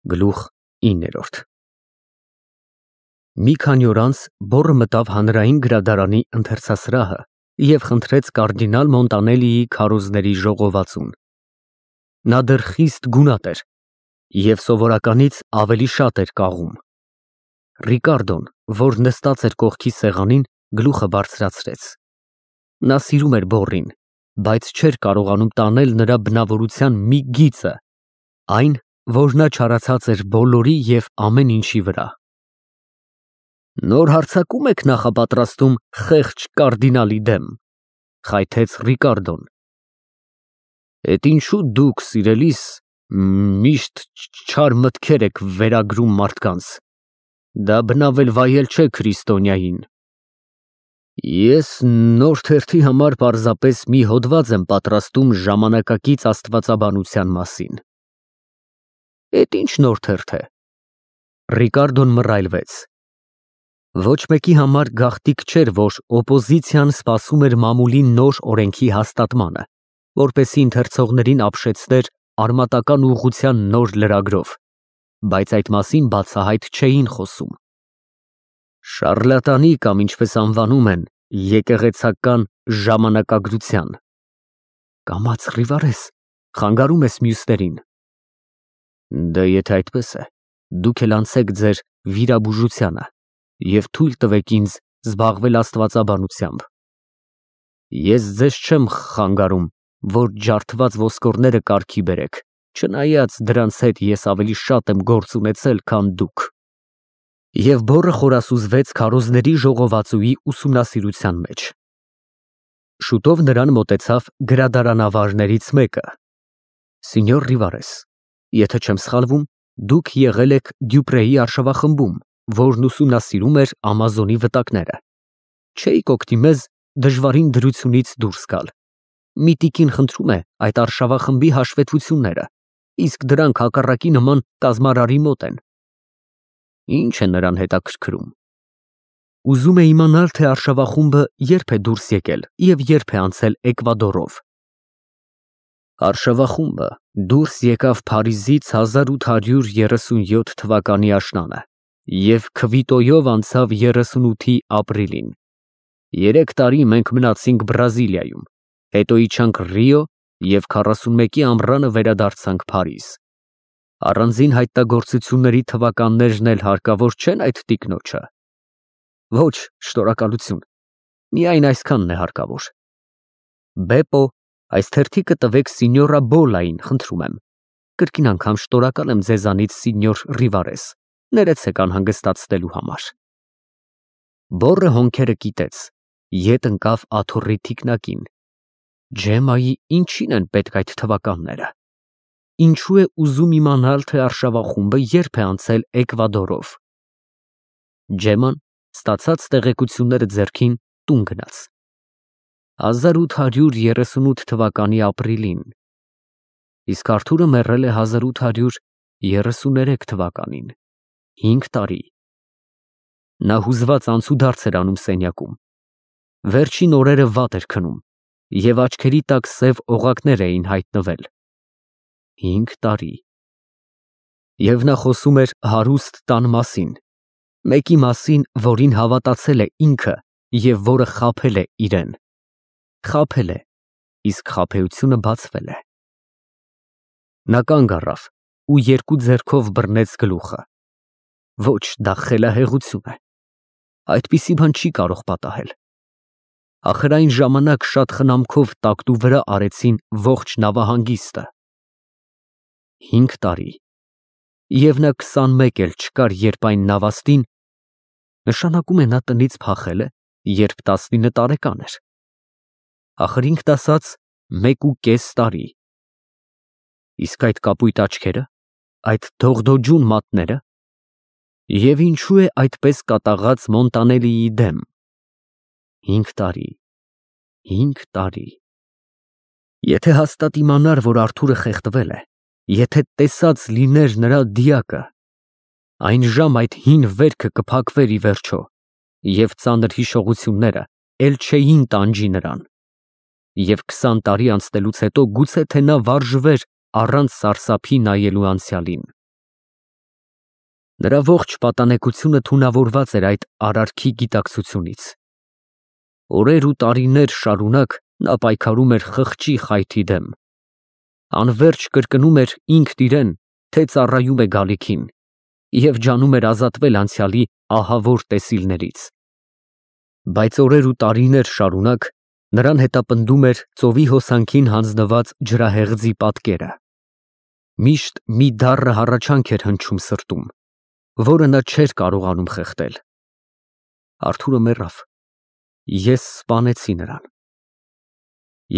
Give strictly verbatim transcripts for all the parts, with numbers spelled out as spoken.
Գլուխ իններորդ Մի քանի օր անց բոռը մտավ հանրային գրադարանի ընթերցասրահը և խնդրեց կարդինալ Մոնտանելիի քարոզների ժողովածուն։ Նա դեռ խիստ գունատ էր և սովորականից ավելի շատ էր կաղում։ Ռիկարդոն, որ նստած էր կողքի սեղանին, գլուխը բարձրացրեց։ Նա սիրում էր բոռին, բայց չէր կարողանում տանել նրա բնավորության մի գիծը, այն, որ նա չարացած էր բոլորի և ամեն ինչի վրա։ Նոր հարձակում եք նախապատրաստում խեղճ կարդինալի դեմ, խայթեց Ռիկարդոն։ Էդ ինչու դուք, սիրելիս, միշտ չար մտքեր եք վերագրում մարդկանց, դա բնավ էլ վայել չէ քրիստոնյային։ Ես նոր թերթի համար պարզապես մի հոդված եմ պատրաստում ժամանակակից աստվածաբանության մասին։ Էդ ինչ նոր թերթ է։ Ռիկարդոն մռայլվեց։ Ոչ մեկի համար գաղտնիք չէր, որ օպոզիցիան սպասում էր մամուլի նոր օրենքի հաստատմանը, որպեսզի ընթերցողներին ապշեցներ արմատական ուղղության նոր լրագրով, բայց այդ մասին բացահայտ չէին խոսում։ Շառլատանի կամ ինչպես անվանում են, եկեղեցական ժամանակագրության։ Կամաց Ռիվարես, խանգարում ես մյուսներին։ Դե եթե այդպես է, դուք էլ անցեք ձեր վիրաբուժությանը և թույլ տվեք ինձ զբաղվել աստվածաբանությամբ։ Ես ձեզ չեմ խանգարում, որ ջարդված ոսկորները կարգի բերեք, չնայած դրանց հետ ես ավելի շատ եմ գործ ունեցել, քան դուք։ Եվ բոռը խորասուզվեց քարոզների ժողովածուի ուսումնասիրության մեջ։ Շուտով նրան մոտեցավ գրադարանավարներից մեկը։ Սինյոր Ռիվարես, եթե չեմ սխալվում, դուք եղել եք Դյուպրեի արշավախմբում, որն ուսումնասիրում էր Ամազոնի վտակները։ Չէիք օգնի մեզ դժվարին դրությունից դուրս գալ։ Մի տիկին խնդրում է այդ արշավախմբի հաշվետվությունները, իսկ դրանք հակառակի նման կազմարարի մոտ են։ Ինչ է նրան հետաքրքրում։ Ուզում է իմանալ, թե արշավախումբը երբ է դուրս եկել և երբ է անցել Էկվադորով։ Արշավախումբը դուրս եկավ Փարիզից հազար ութ հարյուր երեսունյոթ թվականի աշնանը և Քվիտոյով անցավ երեսունութի ապրիլին։ Երեք տարի մենք մնացինք Բրազիլիայում, հետո իջանք Ռիո և քառասունմեկի ամռանը վերադարձանք Փարիզ։ Առանձին հայտնագործությունների թվականներն էլ հարկավոր չեն այդ տիկնոջը։ Ոչ, շնորհակալություն, միայն այսքանն է հարկավոր։ Բեպո, այս թերթիկը տվեք սինյորա Բոլային, խնդրում եմ։ Կրկին անգամ շնորհակալ եմ ձեզանից, սինյոր Ռիվարես, ներեցեք անհանգստացնելու համար։ Բոռը հոնքերը կիտեց, ետ ընկավ աթոռի թիկնակին։ Ջեմայի ինչին են պետք այդ թվականները։ Ինչու է ուզում իմանալ, թե արշավախումբը երբ է անցել Էկվադորով։ Ջեման, ստացած տեղեկությունները ձեռքին, տուն գնաց։ հազար ութ հարյուր երեսունութ թվականի ապրիլին։ Իսկ Արթուրը մեռել է հազար ութ հարյուր երեսուներեք թվականին, հինգ տարի։ Նա հուզված անցուդարձ էր անում սենյակում։ Վերջին օրերը վատ էր քնում, և աչքերի տակ սև օղակներ էին հայտնվել։ Հինգ տարի։ Եվ նա խոսում էր հարուստ տան մասին, մեկի մասին, որին հավատացել է ինքը և որը խաբել է իրեն։ Խաբել է, իսկ խաբեությունը բացվել է։ Նա կանգ առավ ու երկու ձեռքով բռնեց գլուխը։ Ոչ, դա խելահեղություն է։ Այդպիսի բան չի կարող պատահել։ Ախր այն ժամանակ շատ խնամքով տակտու վրա արեցին ողջ նավահանգիստը։ Հինգ տարի։ Եվ նա քսանմեկ էլ չկար, երբ այն նավաստին, նշանակում է նա տնից փախել է, երբ տասնինը տարեկան էր։ Ախր ինքն ասաց մեկ ու կես տարի։ Իսկ այդ կապույտ աչքերը, այդ դողդոջուն մատները, և ինչու է այդպես կատաղած Մոնտանելիի դեմ։ Հինգ տարի, հինգ տարի։ Եթե հաստատ իմանար, որ Արթուրը խեղդվել է, եթե տեսած լիներ նրա դիակը, այն ժամ այդ հին վերքը կփակվեր ի վերջո, և ծանր հիշողությունները էլ չէին տանջի նրան։ Եվ քսան տարի անցնելուց հետո գուցե թե նա վարժվեր առանց սարսափի նայելու անցյալին։ Նրա ողջ պատանեկությունը թունավորված էր այդ արարքի գիտակցությունից։ Օրեր ու տարիներ շարունակ նա պայքարում էր խղճի խայթի դեմ։ Անվերջ կրկնում էր ինքն իրեն, թե ծառայում է գալիքին, և ջանում էր ազատվել անցյալի ահավոր տեսիլներից։ Բայց օրեր ու տարիներ շարունակ նրան հետապնդում էր ծովի հոսանքին հանձնված ջրահեղձի պատկերը։ Միշտ մի դառը հառաչանք էր հնչում սրտում, որը նա չէր կարողանում խեղդել։ Արթուրը մեռավ։ Ես սպանեցի նրան։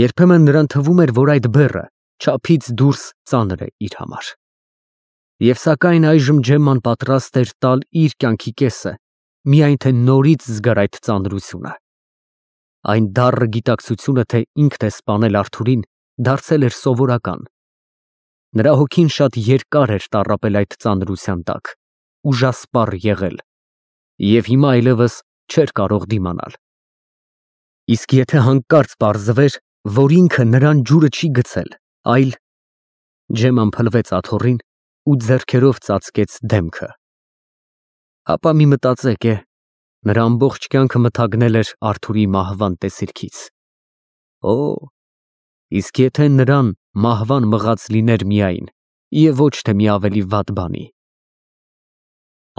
Երբեմն նրան թվում էր, որ այդ բեռը չափից դուրս ծանր է իր համար։ Եվ սակայն այժմ Ջեմման պատրաստ էր տալ իր կյանքի կեսը, միայն թե նորից զգար այդ ծանրությունը։ Այն դառը գիտակցությունը, թե ինքն է սպանել Արթուրին, դարձել էր սովորական։ Նրա հոգին շատ երկար էր տառապել այդ ծանրության տակ, ուժասպառ եղել, և հիմա այլևս չէր կարող դիմանալ։ Իսկ եթե հանկարծ պարզվեր, որ ինքը նրան ջուրը չի գցել, այլ… Ջեմման փլվեց աթոռին ու ձեռքերով ծածկեց դեմքը։ Ապա մի մտածեք է, նրա ամբողջ կյանքը մթագնել էր Արթուրի մահվան տեսիլքից։ Օ, իսկ եթե նրան մահվան մղած լիներ միայն, և ոչ թե մի ավելի վատ բանի։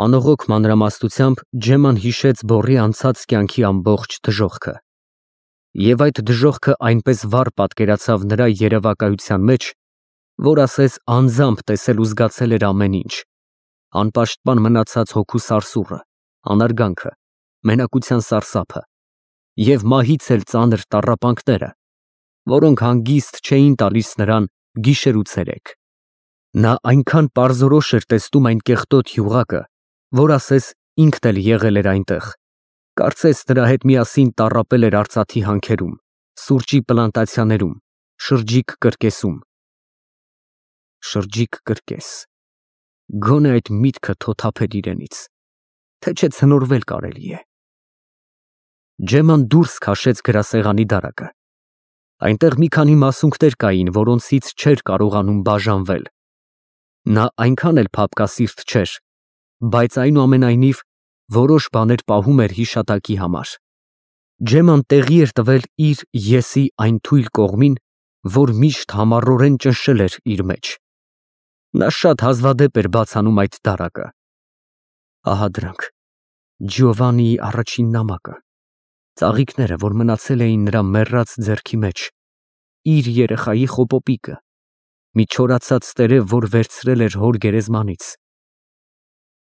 Անողոք մանրամասնությամբ Ջեմման հիշեց բոռի անցած կյանքի ամբողջ դժոխքը։ Եվ այդ դժոխքը այնպես վառ պատկերացավ նրա երևակայության մեջ, որ ասես անձամբ տեսել ու զգացել էր ամեն ինչ, անպաշտպան մնացած հոգու սարսուռը, անարգանքը, մենակության սարսափը և մահից էլ ծանր տառապանքները, որոնք հանգիստ չէին տալիս նրան գիշեր ու ցերեկ։ Նա այնքան պարզորոշ էր տեսնում այն կեղտոտ յուղակը, որ ասես ինքն էլ եղել էր այնտեղ, կարծես նրա հետ միասին տառապել էր արծաթի հանքերում, սուրճի պլանտացիաներում, շրջիկ կրկեսում։ Շրջիկ կրկես… Գոնե այդ միտքը թոթափեր իրենից, թե չէ ցնորվել կարելի է։ Ջեմման դուրս քաշեց գրասեղանի դարակը։ Այնտեղ մի քանի մասունքներ կային, որոնցից չէր կարողանում բաժանվել։ Նա այնքան էլ փափկասիրտ չէր, բայց այնուամենայնիվ որոշ բաներ պահում էր հիշատակի համար։ Ջեմման տեղի էր տվել իր եսի այն թույլ կողմին, որ միշտ համառորեն ճնշել էր իր մեջ։ Նա շատ հազվադեպ էր բաց անում այդ դարակը։ Ահա դրանք, Ջիովաննիի առաջին նամակը, ծաղիկները, որ մնացել էին նրա մեռած ձեռքի մեջ, իր երեխայի խոպոպիկը, մի չորացած տերև, որ վերցրել էր հոր գերեզմանից։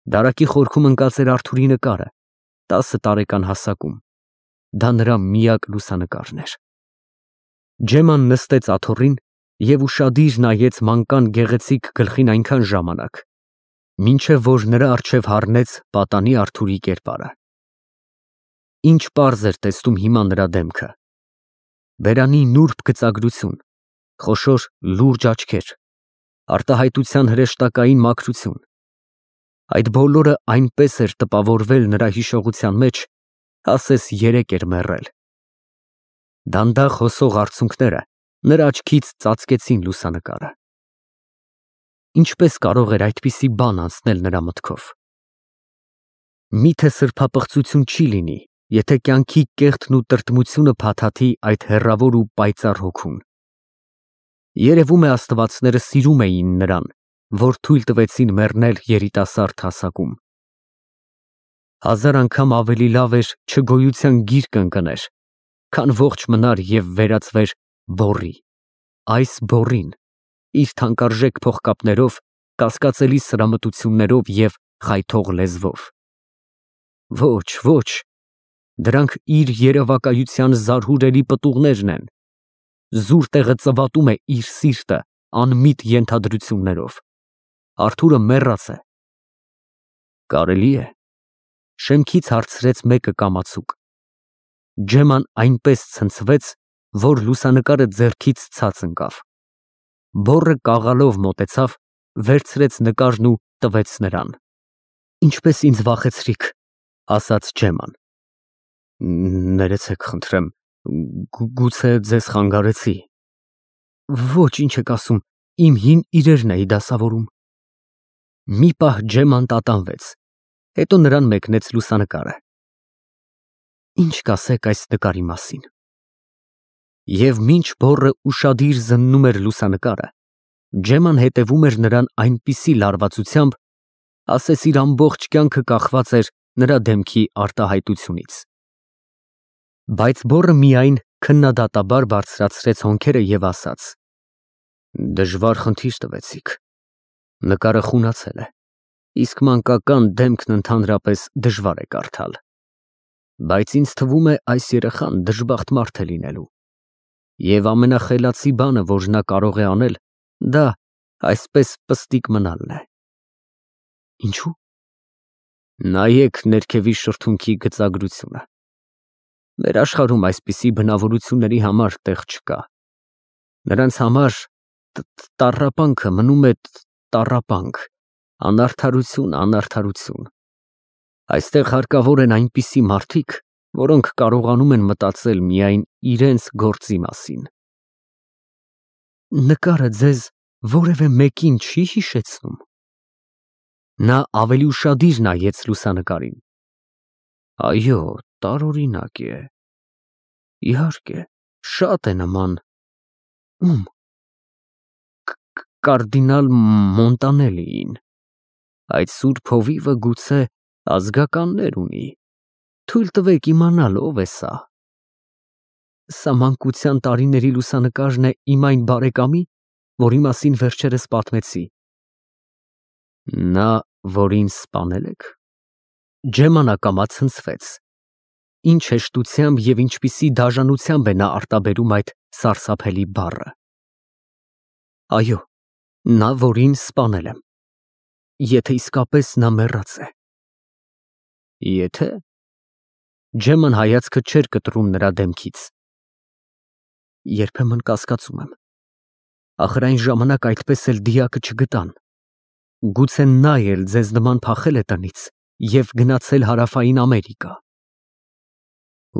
Դարակի խորքում ընկած էր Արթուրի նկարը, տասը տարեկան հասակում։ Դա նրա միակ լուսանկարն էր։ Ջեմման նստեց աթոռին և ուշադիր նայեց մանկան գեղեցիկ գլխին այնքան ժամանակ, մինչև որ նրա առջև հառնեց պատանի Արթուրի կերպարը։ Ինչ պարզ էր տեսնում հիմա նրա դեմքը։ Բերանի նուրբ գծագրություն, խոշոր լուրջ աչքեր, արտահայտության հրեշտակային մաքրություն։ Այդ բոլորը այնպես էր տպավորվել նրա հիշողության մեջ, ասես երեկ էր մեռել։ Դանդաղ հոսող արցունքները նրա աչքից ծածկեցին լուսանկարը։ Ինչպես կարող էր այդպիսի բան անցնել նրա մտքով։ Միթե սրբապղծություն չի լինի, եթե կյանքի կեղտն ու տրտմությունը փաթաթի այդ հեռավոր ու պայծառ հոգուն։ Երևում է աստվածները սիրում էին նրան, որ թույլ տվեցին մեռնել երիտասարդ հասակում։ Հազար անգամ ավելի լավ էր չգոյության գիրկը ընկներ, քան ողջ մնար և վերածվեր բոռի, այս բոռին, իր թանկարժեք փողկապներով, կասկածելի սրամտություններով և խայթող լեզվով։ Ոչ, ոչ, դրանք իր երևակայության զարհուրելի պտուղներն են։ Զուր տեղը ծվատում է իր սիրտը անմիտ ենթադրություններով։ Արթուրը մեռած է։ Կարելի է։ Շեմքից հարցրեց մեկը կամացուկ։ Ջեմման այնպես ցնցվեց, որ լուսանկարը ձեռքից ցած ընկավ։ Բոռը կաղալով մոտեցավ, վերցրեց նկարն ու տվեց նրան։ Ինչպես ինձ վախեցրիք, ասաց Ջեմման։ Ներեցեք խնդրեմ, գուցե ձեզ խանգարեցի։ Ոչ, ինչ եք ասում, իմ հին իրերն էի դասավորում։ Մի պահ Ջեման տատանվեց, հետո նրան մեկնեց լուսանկարը։ Ինչ կասեք այս նկարի մասին։ Եվ մինչ բոռը ուշադիր զննում էր լուսանկարը, Ջեման հետևում էր նրան այնպիսի լարվածությամբ, ասես իր ամբողջ կյանքը կախված էր նրա դեմքի արտահայտությունից։ Բայց բոռը միայն քննադատաբար բարձրացրեց հոնքերը և ասաց. Դժվար խնդիր տվեցիք։ Նկարը խունացել է, իսկ մանկական դեմքն ընդհանրապես դժվար է կարդալ։ Բայց ինձ թվում է այս երեխան դժբախտ մարդ է լինելու։ Եվ ամենախելացի բանը, որ նա կարող է անել, դա այսպես պստիկ մնալն է։ Ինչու՞։ Նայեք ներքևի շրթունքի գծագրությունը։ Մեր աշխարհում այսպիսի բնավորությունների համար տեղ չկա։ Նրանց համար տառապանքը մնում է տառապանք, անարդարություն, անարդարություն։ Այստեղ հարկավոր են այնպիսի մարդիկ, որոնք կարողանում են մտածել միայն իրենց գործի մասին։ Նկարը ձեզ որևէ մեկին չի հիշեցնում։ Նա ավելի ուշադիր նայեց լուսանկարին։ Այո, տարօրինակ է։ Իհարկե, շատ է նման։ Ում։ Կարդինալ Մոնտանելիին։ Այդ սուրբ հովիվը գուցե ազգականներ ունի։ Թույլ տվեք իմանալ ով է սա։ Սա մանկության տարիների լուսանկարն է իմ այն բարեկամի, որի մասին վերջերս պատմեցի։ Նա, որին սպանել եք։ Ջեման ակամա ցնցվեց։ Ինչ հեշտությամբ և ինչպիսի դաժանությամբ է նա արտաբերում այդ սարսափելի բառը։ Այո, նա, որին սպանել եմ։ Եթե իսկապես նա մեռած է։ Եթե։ Ջեման հայացքը չէր կտրում նրա դեմքից։ Երբեմն կասկածում եմ։ Ախր այն ժամանակ այդպես էլ դիակը չգտան։ Գուցե նա էլ ձեզ նման փախել է տնից և գնացել Հարավային Ամերիկա։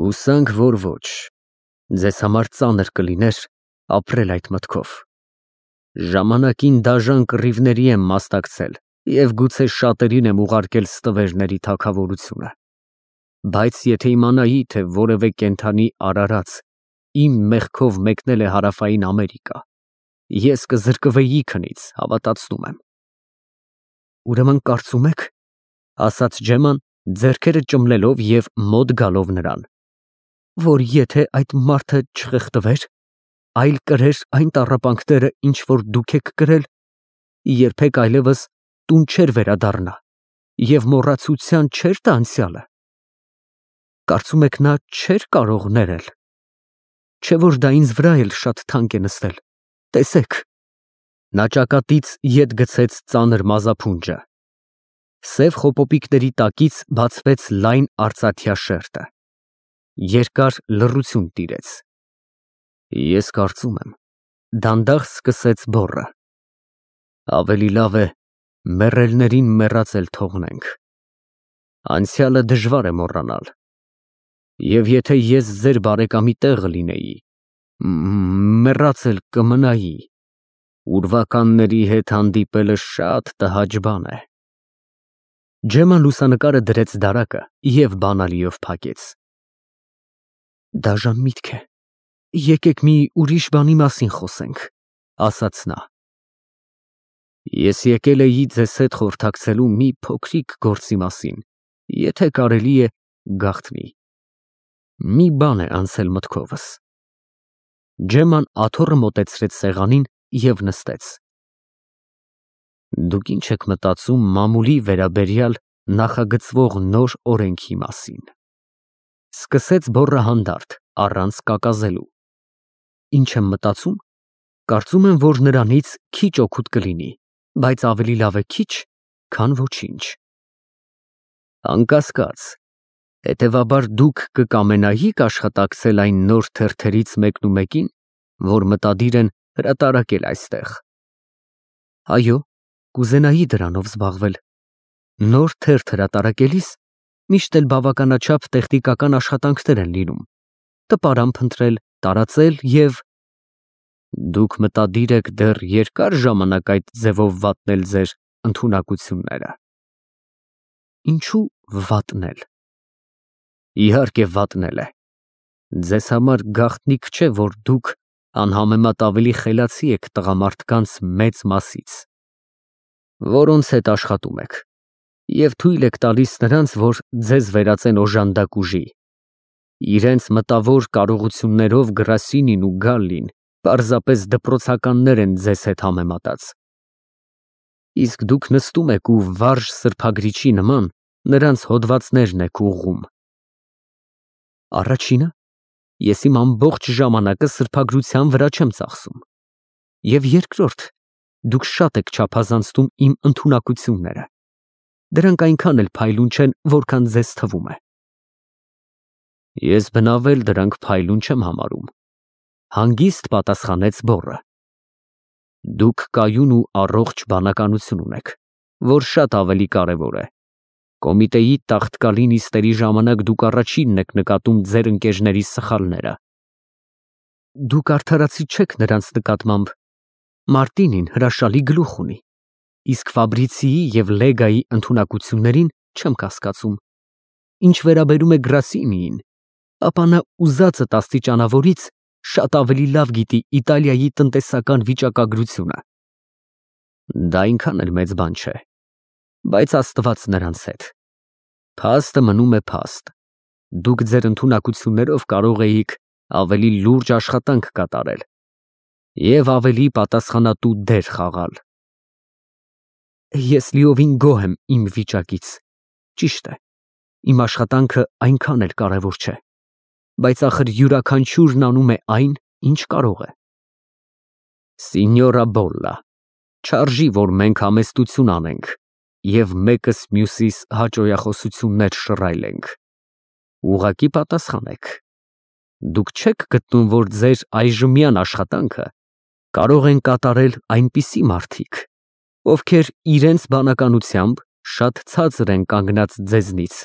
Հուսանք, որ ոչ։ Ձեզ համար ծանր կլիներ ապրել այդ մտքով։ Ժամանակին դաժան կռիվների եմ մասնակցել և գուցե շատերին եմ ուղարկել ստվերների թագավորությունը։ Բայց եթե իմանայի, թե որևէ կենդանի արարած իմ մեղքով մեկնել է Հարավային Ամերիկա, ես կզրկվեի քնից, հավատացնում եմ։ Ուրեմն կարծում եք, ասաց Ջեման, ձեռքերը ճմլելով և մոտ գալով նրան, որ եթե այդ մարդը չխեղդվեր, այլ կրեր այն տառապանքները, ինչ որ դուք եք կրել, երբեք այլևս տուն չէր վերադառնա և մոռացության չէր տա անցյալը։ Կարծում եք նա չէր կարող ներել։ Չէ որ դա ինձ վրա էլ շատ թանկ է նստել։ Տեսեք։ Նա ճակատից ետ գցեց ծանր մազափունջը։ Սև խոպոպիկների տակից բացվեց լայն արծաթյա շերտը։ Երկար լռություն տիրեց։ Ես կարծում եմ, դանդաղ սկսեց բոռը, ավելի լավ է մեռելներին մեռած էլ թողնենք։ Անցյալը դժվար է մոռանալ։ Եվ եթե ես ձեր բարեկամի տեղը լինեի, մեռած էլ կմնայի։ Ուրվականների հետ հանդիպելը շատ տհաճ բան է։ Ջեման լուսանկարը դրեց դարակը և բանալիով փակեց։ Դաժան միտք է։ Եկեք մի ուրիշ բանի մասին խոսենք, ասաց նա։ Ես եկել էի ձեզ հետ խորհրդակցելու մի փոքրիկ գործի մասին, եթե կարելի է, գաղտնի։ Մի բան է անցել մտքովս։ Ջեման աթոռը մոտեցրեց սեղանին և նստեց։ Դուք ինչ եք մտածում մամուլի վերաբերյալ նախագծվող նոր օրենքի մասին։ Սկսեց բոռը հանդարտ, առանց կակազելու։ Ինչ եմ մտածում։ Կարծում եմ, որ նրանից քիչ օգուտ կլինի, բայց ավելի լավ է քիչ, քան ոչինչ։ Անկասկած, հետևաբար դուք կկամենայիք աշխատակցել այն նոր թերթերից մեկնումեկին, որ մտադիր են հրատարակել այստեղ։ Այո, կուզենայի դրանով զբաղվել։ Նոր թերթ հրատարակելիս միշտ էլ բավականաչափ տեխնիկական աշխատանքներ են լինում։ Տպարան փնտրել, տարածել և… Դուք մտադիր եք դեռ երկար ժամանակ այդ ձևով վատնել ձեր ընդունակությունները։ Ինչու վատնել։ Իհարկե վատնել է։ Ձեզ համար գաղտնիք չէ, որ դուք անհամեմատ ավելի խելացի եք տղամարդկանց մեծ մասից, որոնց հետ աշխատում եք, և թույլ եք տալիս նրանց, որ ձեզ վերածեն օժանդակ ուժի։ Իրենց մտավոր կարողություններով Գրասինին ու Գալլին պարզապես դպրոցականներ են ձեզ հետ համեմատած։ Իսկ դուք նստում եք ու վարժ սրբագրիչի նման նրանց հոդվածներն եք ուղղում։ Առաջինը, ես իմ ամբողջ ժամանակը սրբագրության վրա չեմ ծախսում, և երկրորդ, դուք շատ եք չափազանցնում իմ ընդունակությունները, դրանք այնքան էլ փայլուն չեն, որքան ձեզ թվում է։ Ես բնավ էլ դրանք փայլուն չեմ համարում, հանգիստ պատասխանեց բոռը։ Դուք կայուն ու առողջ բանականություն ունեք, որ շատ ավելի կարևոր է։ Կոմիտեի տաղտկալի նիստերի ժամանակ դուք առաջինն եք նկատում ձեր ընկերների սխալները։ Դուք արդարացի չեք նրանց նկատմամբ։ Մարտինին հրաշալի գլուխ ունի, իսկ Ֆաբրիցիի և Լեգայի ընդունակություններին չեմ կասկածում։ Ինչ վերաբերում է Գրասինիին, ապա նա ուզածդ աստիճանավորից շատ ավելի լավ գիտի Իտալիայի տնտեսական վիճակագրությունը։ Դա այնքան էլ մեծ բան չէ, բայց Աստված նրանց հետ։ Փաստը մնում է փաստ։ Դուք ձեր ընդունակություններով կարող էիք ավելի լուրջ աշխատանք կատարել և ավելի պատասխանատու դեր խաղալ։ Ես լիովին գոհ եմ իմ վիճակից։ Ճիշտ է, իմ աշխատանքը այնքան էլ կարևոր չէ, բայց ախր յուրաքանչյուրն անում է այն, ինչ կարող է։ Սինյորա Բոլլա, չարժի, որ մենք համեստություն անենք և մեկս մյուսիս հաճոյախոսություններ շռայլենք։ Ուղղակի պատասխանեք։ Դուք չե՞ք գտնում, որ ձեր այժմյան աշխատանքը կարող են կատարել այնպիսի մարդիկ, ովքեր իրենց բանականությամբ շատ ցածր են կանգնած ձեզնից։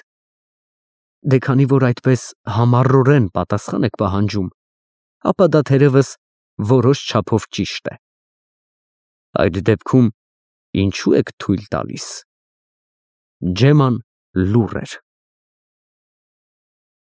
Դե քանի որ այդպես համառորեն պատասխան եք պահանջում, ապա դա թերևս որոշ չափով ճիշտ է։ Այդ դեպքում ինչու եք թույլ տալիս։ Ջեման լուռ էր։